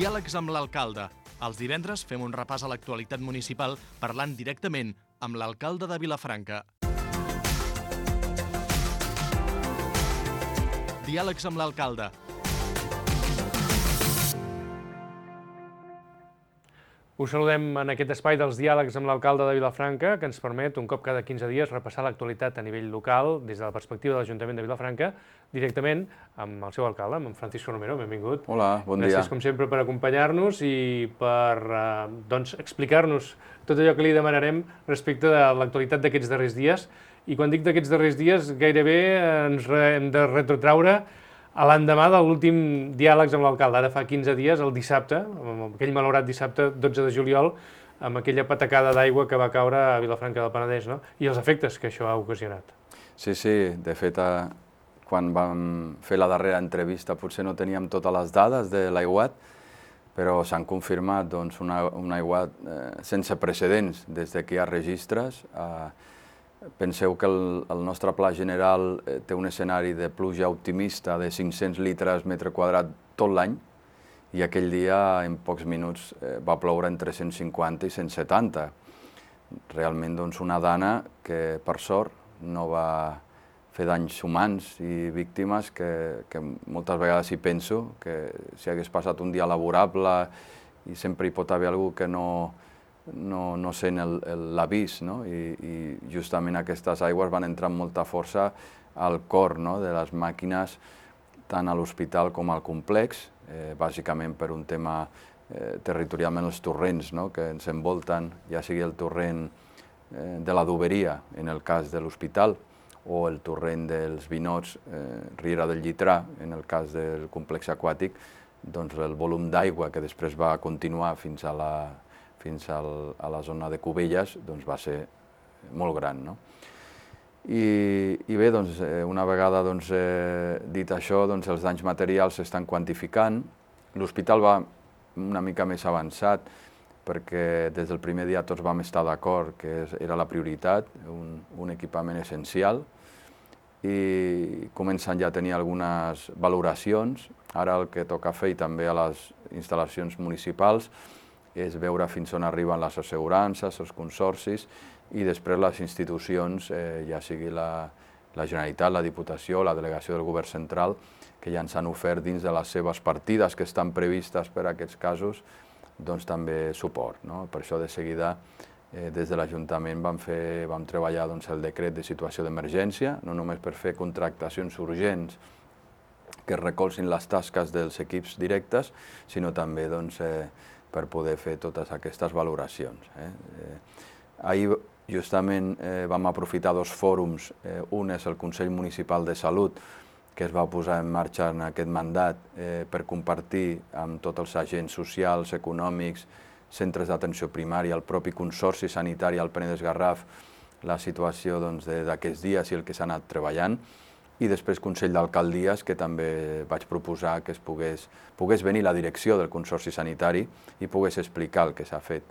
Diàlegs amb l'alcalde. Els divendres fem un repàs a l'actualitat municipal parlant directament amb l'alcalde de Vilafranca. Diàlegs amb l'alcalde. Us saludem en aquest espai dels diàlegs amb l'alcalde de Vilafranca, que ens permet, un cop cada 15 dies, repassar l'actualitat a nivell local des de la perspectiva de l'Ajuntament de Vilafranca, directament amb el seu alcalde, amb en Francisco Romero. Benvingut. Hola, bon dia. Gràcies, com sempre, per acompanyar-nos i per explicar-nos tot allò que li demanarem respecte de l'actualitat d'aquests darrers dies. I quan dic d'aquests darrers dies, gairebé ens hem de retrotraure a l'endemà de l'últim diàlegs amb l'alcalde, ara fa 15 dies, el dissabte, aquell malaurat dissabte 12 de juliol, amb aquella patacada d'aigua que va caure a Vilafranca del Penedès, no? I els efectes que això ha ocasionat. Sí, de fet, quan vam fer la darrera entrevista potser no teníem totes les dades de l'aiguat, però s'han confirmat un aiguat sense precedents des que hi ha registres. Penseu que el nostre pla general té un escenari de pluja optimista de 500 litres metre quadrat tot l'any i aquell dia, en pocs minuts, va ploure entre 150 i 170. Realment una dana que, per sort, no va fer danys humans i víctimes que moltes vegades hi penso, que si hagués passat un dia laborable i sempre hi pot haver algú que no sent l'avís, i justament aquestes aigües van entrar amb molta força al cor de les màquines tant a l'hospital com al complex, bàsicament per un tema territorialment els torrents que ens envolten, ja sigui el torrent de la Doberia, en el cas de l'hospital, o el torrent dels Vinots, Riera del Llitrà, en el cas del complex aquàtic, doncs el volum d'aigua que després va continuar fins a la zona de Cubelles va ser molt gran. I bé, una vegada dit això, els danys materials s'estan quantificant. L'hospital va una mica més avançat perquè des del primer dia tots vam estar d'acord que era la prioritat, un equipament essencial, i comencen ja a tenir algunes valoracions. Ara el que toca fer, i també a les instal·lacions municipals, és veure fins on arriben les assegurances, els consorcis, i després les institucions, ja sigui la Generalitat, la Diputació, la Delegació del Govern Central, que ja ens han ofert dins de les seves partides que estan previstes per a aquests casos, també suport. Per això, de seguida, des de l'Ajuntament vam treballar el decret de situació d'emergència, no només per fer contractacions urgents que recolzin les tasques dels equips directes, sinó també per poder fer totes aquestes valoracions. Ahir justament vam aprofitar dos fòrums. Un és el Consell Municipal de Salut, que es va posar en marxa en aquest mandat per compartir amb tots els agents socials, econòmics, centres d'atenció primària, el propi Consorci Sanitari al Penedès-Garraf, la situació d'aquests dies i el que s'ha anat treballant. I després Consell d'Alcaldies, que també vaig proposar que pogués venir la direcció del Consorci Sanitari i pogués explicar el que s'ha fet.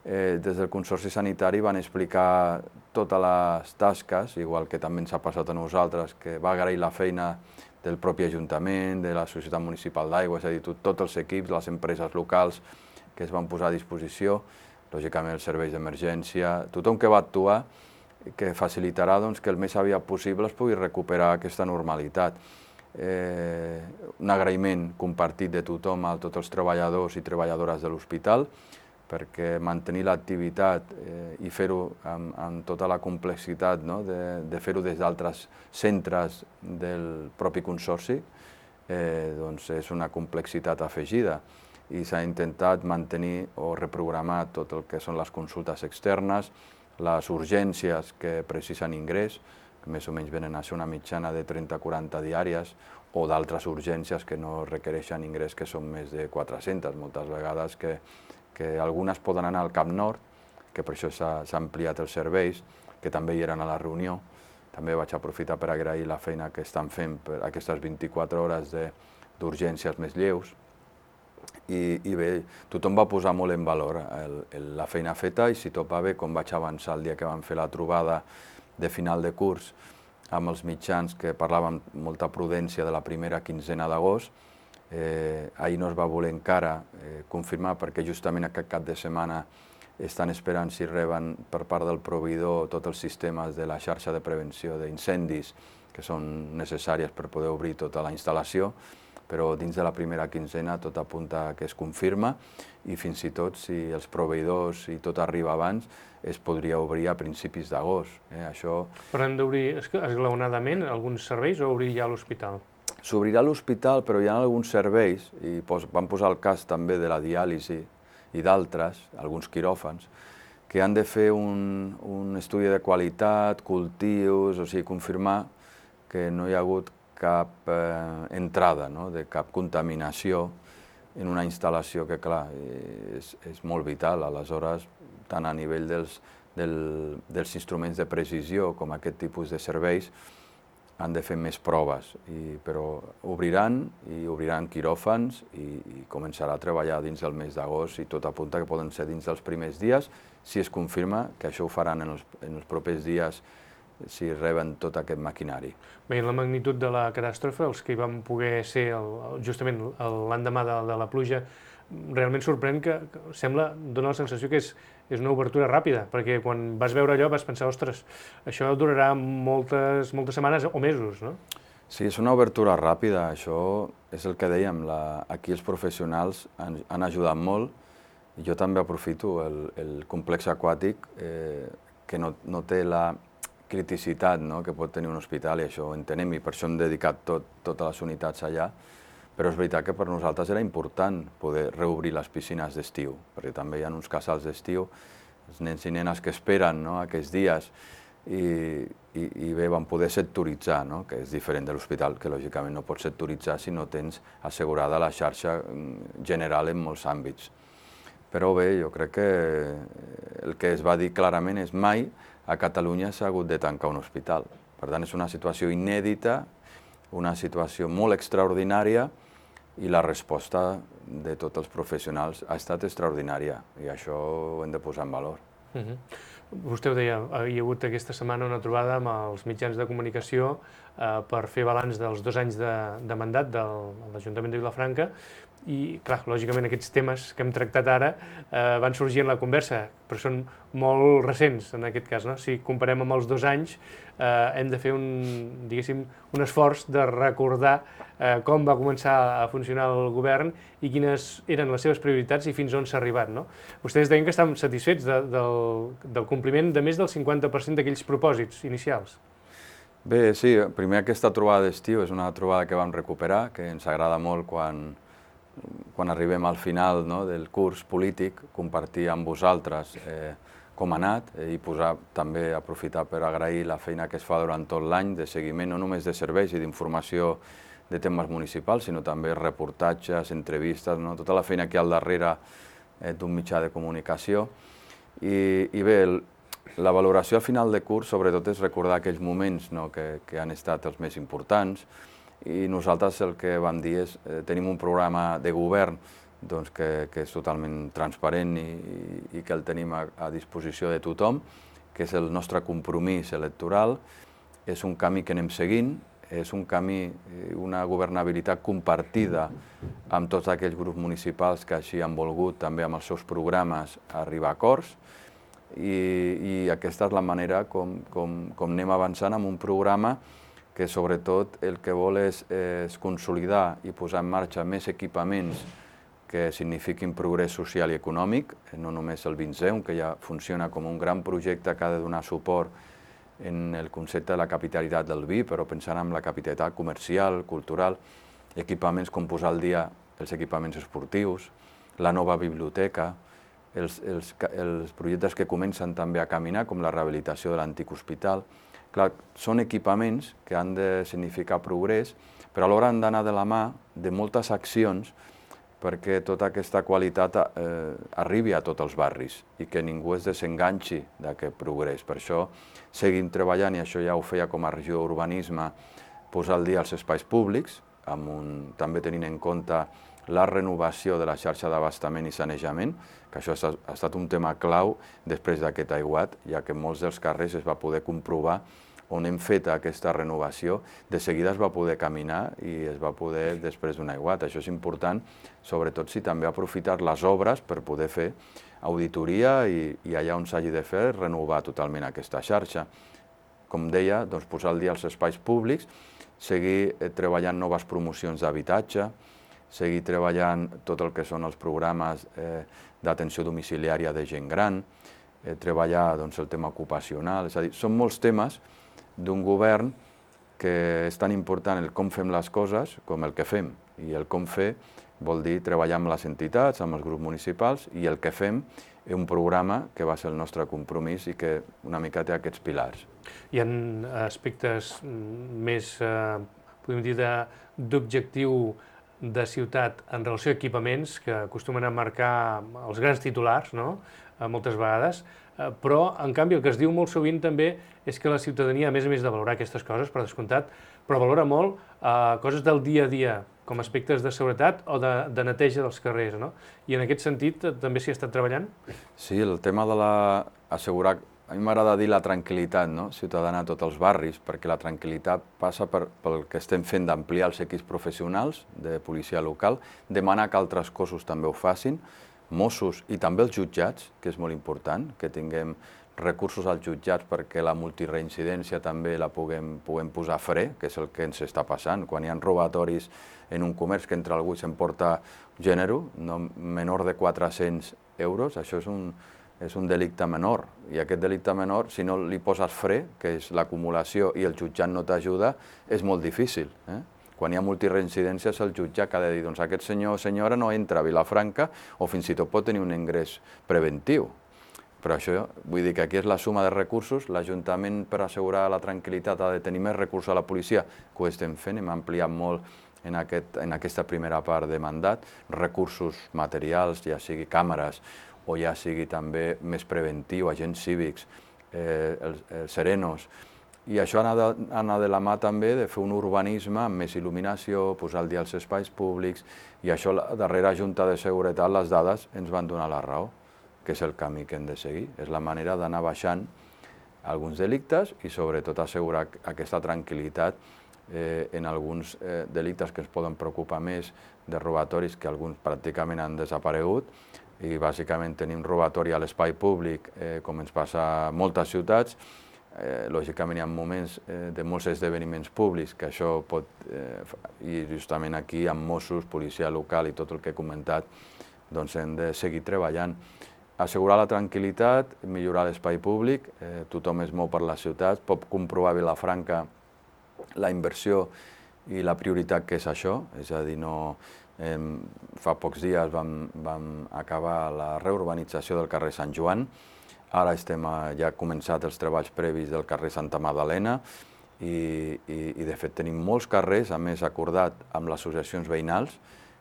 Des del Consorci Sanitari van explicar totes les tasques, igual que també ens ha passat a nosaltres, que va agrair la feina del propi Ajuntament, de la Societat Municipal d'Aigua, és a dir, tots els equips, les empreses locals que es van posar a disposició, lògicament els serveis d'emergència, tothom que va actuar, que facilitarà que el més aviat possible es pugui recuperar aquesta normalitat. Un agraïment compartit de tothom a tots els treballadors i treballadores de l'hospital, perquè mantenir l'activitat i fer-ho amb tota la complexitat de fer-ho des d'altres centres del propi consorci és una complexitat afegida. I s'ha intentat mantenir o reprogramar tot el que són les consultes externes, les urgències que precisen ingrés, que més o menys venen a ser una mitjana de 30-40 diàries, o d'altres urgències que no requereixen ingrés, que són més de 400, moltes vegades que algunes poden anar al Cap Nord, que per això s'ha ampliat els serveis, que també hi eren a la reunió. També vaig aprofitar per agrair la feina que estan fent per aquestes 24 hores d'urgències més lleus. I bé, tothom va posar molt en valor la feina feta, i si tot va bé, com vaig avançar el dia que vam fer la trobada de final de curs amb els mitjans, que parlàvem amb molta prudència de la primera quinzena d'agost, Ahir no es va voler encara confirmar perquè justament aquest cap de setmana estan esperant si reben per part del proveïdor tots els sistemes de la xarxa de prevenció d'incendis que són necessàries per poder obrir tota la instal·lació, però dins de la primera quinzena tot apunta que es confirma i fins i tot si els proveïdors i tot arriba abans es podria obrir a principis d'agost. Això... Però hem d'obrir esglaonadament alguns serveis o obrir ja l'hospital? S'obrirà l'hospital, però hi ha alguns serveis, i vam posar el cas també de la diàlisi i d'altres, alguns quiròfans, que han de fer un estudi de qualitat, cultius, o sigui, confirmar que no hi ha hagut cap entrada, de cap contaminació en una instal·lació que, clar, és molt vital. Aleshores, tant a nivell dels instruments de precisió com aquest tipus de serveis, han de fer més proves, però obriran quiròfans i començarà a treballar dins del mes d'agost i tot apunta que poden ser dins dels primers dies, si es confirma que això ho faran en els propers dies si reben tot aquest maquinari. Veient la magnitud de la catàstrofe, els que hi vam poder ser justament l'endemà de la pluja, realment sorprèn que sembla, dona la sensació que és una obertura ràpida, perquè quan vas veure allò vas pensar, ostres, això durarà moltes setmanes o mesos, no? Sí, és una obertura ràpida, això és el que dèiem, aquí els professionals han ajudat molt, i jo també aprofito el complex aquàtic que no té la criticitat que pot tenir un hospital, i això ho entenem, i per això hem dedicat totes les unitats allà, però és veritat que per nosaltres era important poder reobrir les piscines d'estiu, perquè també hi ha uns casals d'estiu, els nens i nenes que esperen aquests dies, i bé, van poder sectoritzar, que és diferent de l'hospital, que lògicament no pots sectoritzar si no tens assegurada la xarxa general en molts àmbits. Però bé, jo crec que el que es va dir clarament és mai a Catalunya s'ha hagut de tancar un hospital. Per tant, és una situació inèdita, una situació molt extraordinària, i la resposta de tots els professionals ha estat extraordinària, i això ho hem de posar en valor. Vostè ho deia, hi ha hagut aquesta setmana una trobada amb els mitjans de comunicació per fer balanç dels 2 anys de mandat de l'Ajuntament de Vilafranca, i, clar, lògicament aquests temes que hem tractat ara van sorgir en la conversa, però són molt recents en aquest cas, no? Si comparem amb els 2 anys, hem de fer un esforç de recordar com va començar a funcionar el govern i quines eren les seves prioritats i fins on s'ha arribat, no? Vostès deien que estan satisfets del compliment de més del 50% d'aquells propòsits inicials. Bé, sí, primer aquesta trobada d'estiu és una trobada que vam recuperar, que ens agrada molt quan arribem al final del curs polític, compartir amb vosaltres com ha anat i també aprofitar per agrair la feina que es fa durant tot l'any de seguiment, no només de serveis i d'informació de temes municipals, sinó també reportatges, entrevistes, tota la feina que hi ha al darrere d'un mitjà de comunicació. I bé, la valoració al final de curs sobretot és recordar aquells moments que han estat els més importants, i nosaltres el que vam dir és tenim un programa de govern que és totalment transparent i que el tenim a disposició de tothom, que és el nostre compromís electoral, és un camí que anem seguint, és un camí, una governabilitat compartida amb tots aquells grups municipals que així han volgut també amb els seus programes arribar a acords, i aquesta és la manera com anem avançant amb un programa que sobretot el que vol és consolidar i posar en marxa més equipaments que signifiquin progrés social i econòmic, no només el 2010, que ja funciona com un gran projecte que ha de donar suport en el concepte de la capitalitat del vi, però pensant en la capitalitat comercial, cultural, equipaments com posar al dia els equipaments esportius, la nova biblioteca, els projectes que comencen també a caminar, com la rehabilitació de l'antic hospital. Clar, són equipaments que han de significar progrés, però alhora han d'anar de la mà de moltes accions perquè tota aquesta qualitat arribi a tots els barris i que ningú es desenganxi d'aquest progrés. Per això seguim treballant, i això ja ho feia com a regió d'urbanisme, posar al dia els espais públics, també tenint en compte la renovació de la xarxa d'abastament i sanejament, que això ha estat un tema clau després d'aquest aiguat, ja que en molts dels carrers es va poder comprovar on hem fet aquesta renovació, de seguida es va poder caminar i es va poder després d'un aiguat. Això és important, sobretot si també aprofitar les obres per poder fer auditoria i allà on s'hagi de fer, renovar totalment aquesta xarxa. Com deia, doncs, posar al dia els espais públics, seguir treballant noves promocions d'habitatge, seguir treballant tot el que són els programes d'atenció domiciliària de gent gran, treballar el tema ocupacional, és a dir, són molts temes d'un govern que és tan important el com fem les coses com el que fem, i el com fer vol dir treballar amb les entitats, amb els grups municipals, i el que fem és un programa que va ser el nostre compromís i que una mica té aquests pilars. Hi ha aspectes més, podem dir, d'objectiu de ciutat en relació a equipaments que acostumen a marcar els grans titulars, no?, moltes vegades, però, en canvi, el que es diu molt sovint també és que la ciutadania, a més de valorar aquestes coses, per descomptat, però valora molt coses del dia a dia, com aspectes de seguretat o de neteja dels carrers, no? I en aquest sentit també s'hi ha estat treballant? Sí, el tema de assegurar, a mi m'agrada dir la tranquil·litat ciutadana a tots els barris, perquè la tranquil·litat passa pel que estem fent d'ampliar els equips professionals de policia local, demanar que altres cossos també ho facin, Mossos i també els jutjats, que és molt important, que tinguem recursos als jutjats perquè la multireincidència també la puguem posar fre, que és el que ens està passant. Quan hi ha robatoris en un comerç que entra algú i s'emporta gènere, menor de 400 euros, això és un delicte menor. I aquest delicte menor, si no li poses fre, que és l'acumulació, i el jutjat no t'ajuda, és molt difícil. Quan hi ha multireincidències, el jutge ha de dir doncs aquest senyor o senyora no entra a Vilafranca o fins i tot pot tenir un ingrés preventiu. Però això, vull dir que aquí és la suma de recursos, l'Ajuntament per assegurar la tranquil·litat ha de tenir més recursos a la policia, que ho estem fent, hem ampliat molt en aquesta primera part de mandat, recursos materials, ja sigui càmeres o ja sigui també més preventiu, agents cívics, els serenos. I això ha d'anar de la mà també de fer un urbanisme amb més il·luminació, posar al dia els espais públics, i això la darrera Junta de Seguretat, les dades ens van donar la raó, que és el camí que hem de seguir. És la manera d'anar baixant alguns delictes i sobretot assegurar aquesta tranquil·litat en alguns delictes que ens poden preocupar més, de robatoris que alguns pràcticament han desaparegut, i bàsicament tenim robatori a l'espai públic, com ens passa a moltes ciutats. Lògicament hi ha moments de molts esdeveniments públics que això pot, i justament aquí amb Mossos, policia local i tot el que he comentat, doncs hem de seguir treballant. Assegurar la tranquil·litat, millorar l'espai públic, tothom es mou per la ciutat, pot comprovar a Vilafranca la inversió i la prioritat que és això, és a dir, fa pocs dies vam acabar la reurbanització del carrer Sant Joan. Ara ja començat els treballs previs del carrer Santa Magdalena i de fet tenim molts carrers, a més acordat amb les associacions veïnals,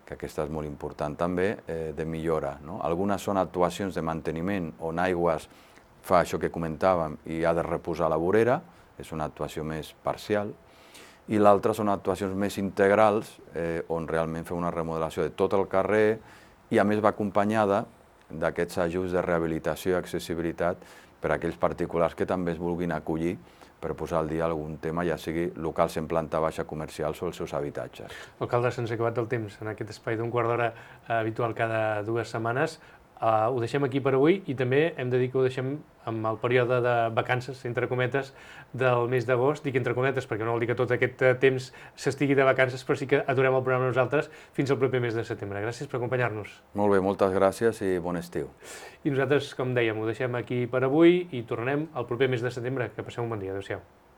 que aquesta és molt important també, de millora. Algunes són actuacions de manteniment on Aigües fa això que comentàvem i ha de reposar la vorera, és una actuació més parcial, i l'altra són actuacions més integrals on realment fem una remodelació de tot el carrer i a més va acompanyada d'aquests ajuts de rehabilitació i accessibilitat per a aquells particulars que també es vulguin acollir per posar al dia algun tema, ja sigui locals en planta baixa, comercials o els seus habitatges. Alcalde, se'ns ha acabat el temps en aquest espai d'un quart d'hora habitual cada 2 setmanes. Ho deixem aquí per avui i també hem de dir que ho deixem amb el període de vacances, entre cometes, del mes d'agost. Dic entre cometes perquè no vol dir que tot aquest temps s'estigui de vacances, però sí que aturem el programa nosaltres fins al proper mes de setembre. Gràcies per acompanyar-nos. Molt bé, moltes gràcies i bon estiu. I nosaltres, com dèiem, ho deixem aquí per avui i tornem al proper mes de setembre. Que passeu un bon dia. Adéu-siau.